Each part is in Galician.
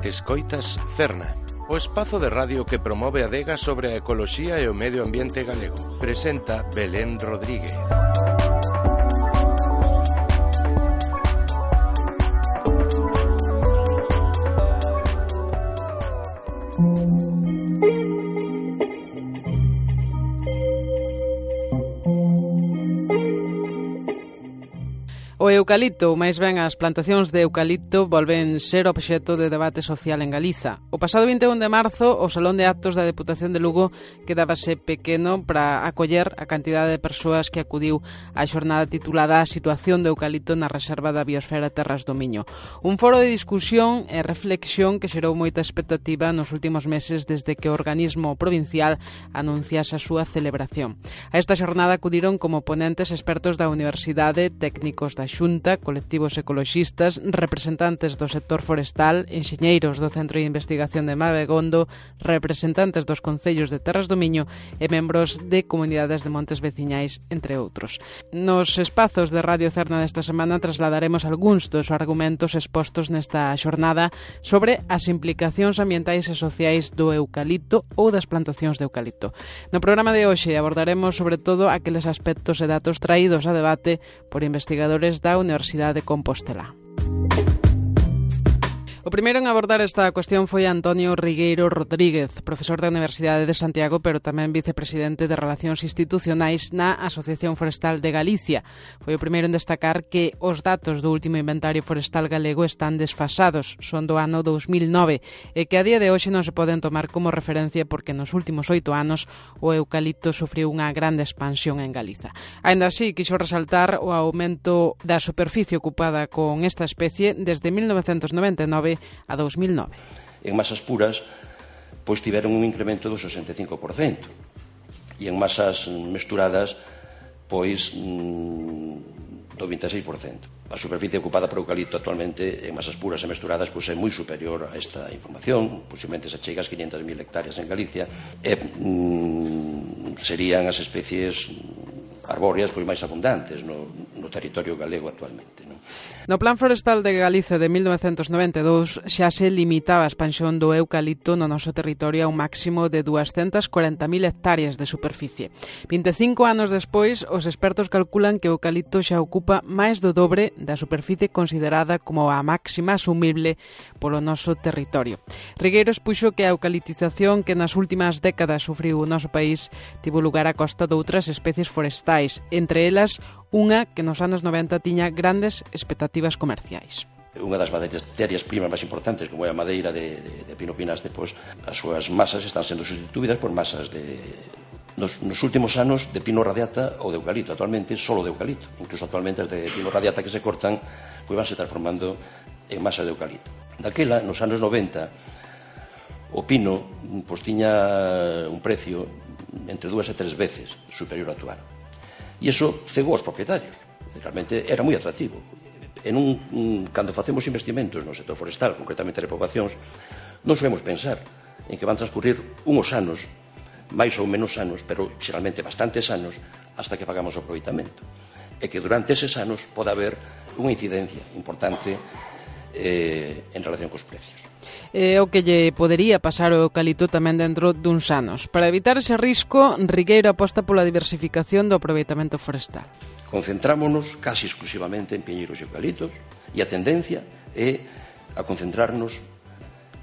Escoitas Cerna, o espazo de radio que promove a adega sobre a ecoloxía e o medio ambiente galego. Presenta Belén Rodríguez. O eucalipto, ou máis ben as plantacións de eucalipto, volven ser obxecto de debate social en Galiza. O pasado 21 de marzo, o Salón de Actos da Deputación de Lugo quedábase pequeno para acoller a cantidade de persoas que acudiu á xornada titulada A situación do eucalipto na Reserva da Biosfera Terras do Miño. Un foro de discusión e reflexión que xerou moita expectativa nos últimos meses desde que o organismo provincial anunciase a súa celebración. A esta xornada acudiron como ponentes expertos da Universidade, técnicos da Xunta, colectivos ecoloxistas, representantes do sector forestal, enxeñeiros do Centro de Investigación de Mabegondo, representantes dos concellos de Terras do Miño e membros de comunidades de montes veciñais, entre outros. Nos espazos de Radio Cerna desta semana trasladaremos algúns dos argumentos expostos nesta xornada sobre as implicacións ambientais e sociais do eucalipto ou das plantacións de eucalipto. No programa de hoxe abordaremos sobre todo aqueles aspectos e datos traídos a debate por investigadores da Universidade de Compostela. O primeiro en abordar esta cuestión foi Antonio Rigueiro Rodríguez, profesor da Universidade de Santiago, pero tamén vicepresidente de Relacións Institucionais na Asociación Forestal de Galicia. Foi o primeiro en destacar que os datos do último inventario forestal galego están desfasados, son do ano 2009, e que a día de hoxe non se poden tomar como referencia porque nos últimos 8 anos o eucalipto sufriu unha grande expansión en Galiza. Aínda así, quixo resaltar o aumento da superficie ocupada con esta especie desde 1999 a 2009. En masas puras, pois tiveron un incremento do 65%, e en masas mesturadas, pois do 26%. A superficie ocupada por eucalipto actualmente en masas puras e mesturadas pois é moi superior a esta información, posiblemente se chega ás 500.000 hectáreas en Galicia, e serían as especies arbóreas pois máis abundantes no territorio galego actualmente, non? No Plan Forestal de Galicia de 1992 xa se limitaba a expansión do eucalipto no noso territorio a un máximo de 240.000 hectáreas de superficie. 25 anos despois, os expertos calculan que o eucalipto xa ocupa máis do dobre da superficie considerada como a máxima asumible polo noso territorio. Rigueiro expuxo que a eucaliptización que nas últimas décadas sufriu o noso país tivo lugar a costa de outras especies forestais, entre elas unha que nos anos 90 tiña grandes expectativas comerciais. Unha das materias primas máis importantes, como é a madeira de pino pinaste, pois as súas masas están sendo sustituídas por masas nos últimos anos de pino radiata ou de eucalipto, actualmente solo de eucalipto. Incluso actualmente as de pino radiata que se cortan pois van se transformando en masas de eucalipto. Daquela, nos anos 90, o pino pois tiña un precio entre 2 e 3 veces superior ao actual. E iso cegou aos propietarios. Realmente era moi atractivo. Cando facemos investimentos no sector forestal, concretamente repoboacións, non solemos pensar en que van transcurrir uns anos, máis ou menos anos, pero xeralmente bastantes anos, hasta que fagamos o aproveitamento. E que durante eses anos pode haber unha incidencia importante en relación cos precios. É o que lle podería pasar ao eucalipto tamén dentro duns anos. Para evitar ese risco, Rigueiro aposta pola diversificación do aproveitamento forestal. Concentrámonos casi exclusivamente en piñeiros e eucaliptos, e a tendencia é a concentrarnos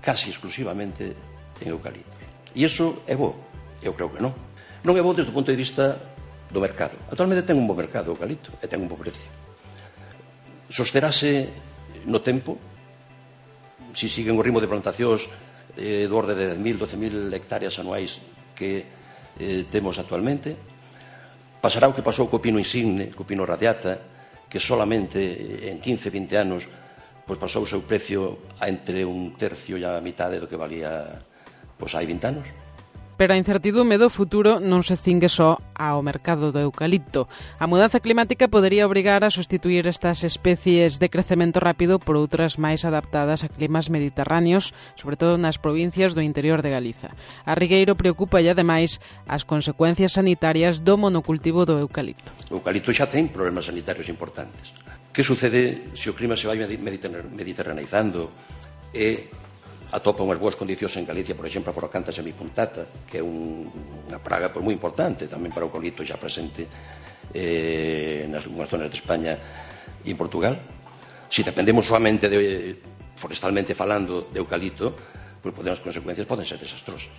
casi exclusivamente en eucaliptos. E iso é bo? Eu creo que non. Non é bo desde o punto de vista do mercado. Actualmente ten un bo mercado o eucalipto e ten un bo precio. Sosterase no tempo, se siguen o ritmo de plantacións do orde de 10.000, 12.000 hectáreas anuais que temos actualmente. Pasará o que pasou co pino insigne, co pino radiata, que solamente en 15, 20 anos pois pasou o seu precio a entre un tercio e a mitade do que valía pois hai 20 anos. Pero a incertidume do futuro non se cingue só ao mercado do eucalipto. A mudanza climática podería obrigar a sustituir estas especies de crecemento rápido por outras máis adaptadas a climas mediterráneos, sobre todo nas provincias do interior de Galiza. A Rigueiro preocupa e, ademais, as consecuencias sanitarias do monocultivo do eucalipto. O eucalipto xa ten problemas sanitarios importantes. Que sucede se o clima se vai mediterraneizando e atopa unhas boas condicións en Galicia, por exemplo, a Forocanta semipuntata, que é unha praga moi importante tamén para o eucalipto xa presente nas algunhas zonas de España e en Portugal. Se dependemos solamente forestalmente falando de eucalipto, pois as consecuencias poden ser desastrosas.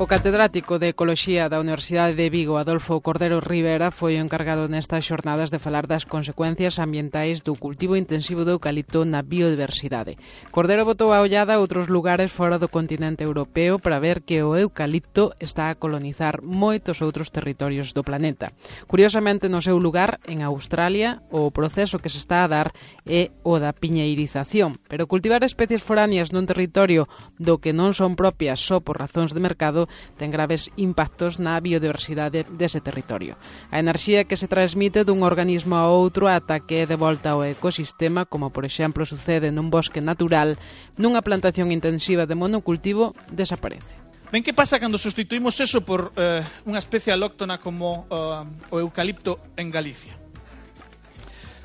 O catedrático de Ecoloxía da Universidade de Vigo, Adolfo Cordero Rivera, foi o encargado nestas xornadas de falar das consecuencias ambientais do cultivo intensivo do eucalipto na biodiversidade. Cordero botou a ollada a outros lugares fora do continente europeo para ver que o eucalipto está a colonizar moitos outros territorios do planeta. Curiosamente, no seu lugar, en Australia, o proceso que se está a dar é o da piñeirización, pero cultivar especies foráneas nun territorio do que non son propias só por razóns de mercado ten graves impactos na biodiversidade dese territorio. A enerxía que se transmite dun organismo a outro ata que é de volta ao ecosistema, como por exemplo sucede nun bosque natural, nunha plantación intensiva de monocultivo, desaparece. Ben, que pasa cando sustituímos eso por unha especie alóctona como o eucalipto en Galicia?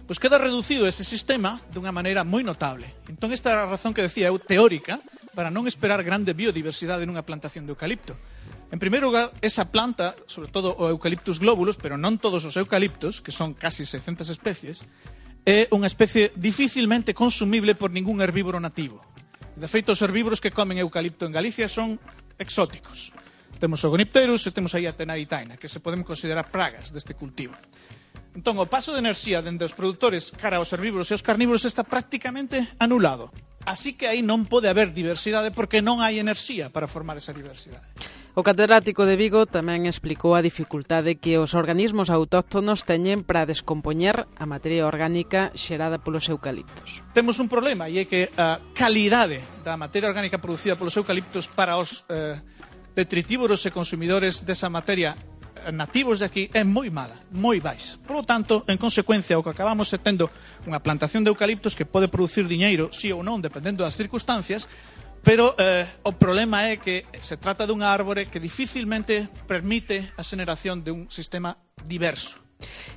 Pois queda reducido ese sistema dunha maneira moi notable. Entón, esta é a razón que decía eu teórica para non esperar grande biodiversidade nunha plantación de eucalipto. En primeiro lugar, esa planta, sobre todo o Eucalyptus globulus, pero non todos os eucaliptos, que son casi 600 especies, é unha especie dificilmente consumible por ningún herbívoro nativo. De feito, os herbívoros que comen eucalipto en Galicia son exóticos. Temos o Gonipterus e temos aí a Tenaitaina, que se poden considerar pragas deste cultivo. Entón, o paso de enerxía dende os produtores cara aos herbívoros e aos carnívoros está prácticamente anulado. Así que aí non pode haber diversidade porque non hai enerxía para formar esa diversidade. O catedrático de Vigo tamén explicou a dificultade que os organismos autóctonos teñen para descompoñer a materia orgánica xerada polos eucaliptos. Temos un problema e é que a calidade da materia orgánica producida polos eucaliptos para os detritívoros e consumidores desa materia nativos de aquí é moi mala, moi baixa. Por lo tanto, en consecuencia, o que acabamos é tendo unha plantación de eucaliptos que pode producir diñeiro, sí ou non, dependendo das circunstancias, pero o problema é que se trata dunha árbore que dificilmente permite a xeneración de un sistema diverso.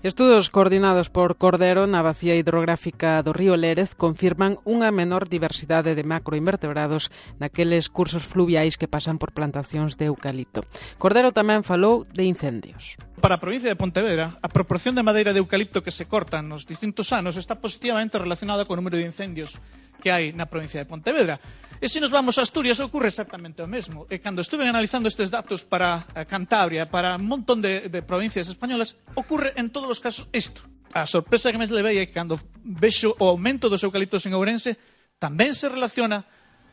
Estudos coordinados por Cordero na bacía hidrográfica do río Lérez confirman unha menor diversidade de macroinvertebrados naqueles cursos fluviais que pasan por plantacións de eucalipto. Cordero tamén falou de incendios. Para a provincia de Pontevedra, a proporción de madeira de eucalipto que se cortan nos distintos anos está positivamente relacionada co número de incendios que hai na provincia de Pontevedra. E se nos vamos a Asturias ocurre exactamente o mesmo. E cando estuve analizando estes datos para Cantabria, para un montón de provincias españolas, ocurre en todos os casos isto. A sorpresa que me levei é que cando vexo o aumento dos eucaliptos en Ourense tamén se relaciona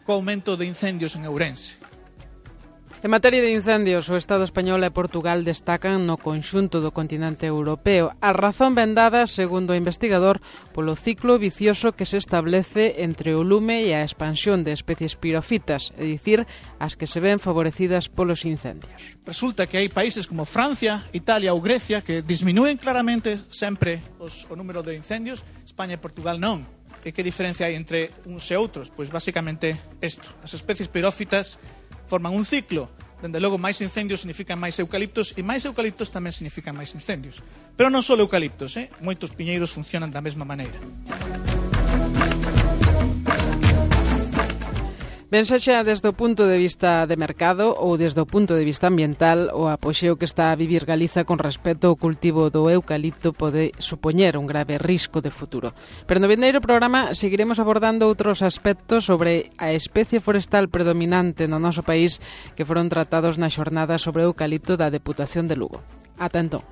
co aumento de incendios en Ourense. En materia de incendios, o Estado español e Portugal destacan no conxunto do continente europeo. A razón ben dada, segundo o investigador, polo ciclo vicioso que se establece entre o lume e a expansión de especies pirofitas, é dicir, as que se ven favorecidas polos incendios. Resulta que hai países como Francia, Italia ou Grecia que disminúen claramente sempre o número de incendios, España e Portugal non. E que diferencia hai entre uns e outros? Pois basicamente isto. As especies pirófitas forman un ciclo. Dende logo, máis incendios significan máis eucaliptos e máis eucaliptos tamén significan máis incendios. Pero non só eucaliptos, moitos piñeiros funcionan da mesma maneira. Ben sexa desde o punto de vista de mercado ou desde o punto de vista ambiental, o apoxeo que está a vivir Galiza con respecto ao cultivo do eucalipto pode supoñer un grave risco de futuro. Pero no vindeiro programa seguiremos abordando outros aspectos sobre a especie forestal predominante no noso país que foron tratados na xornada sobre o eucalipto da Deputación de Lugo. Ata entón.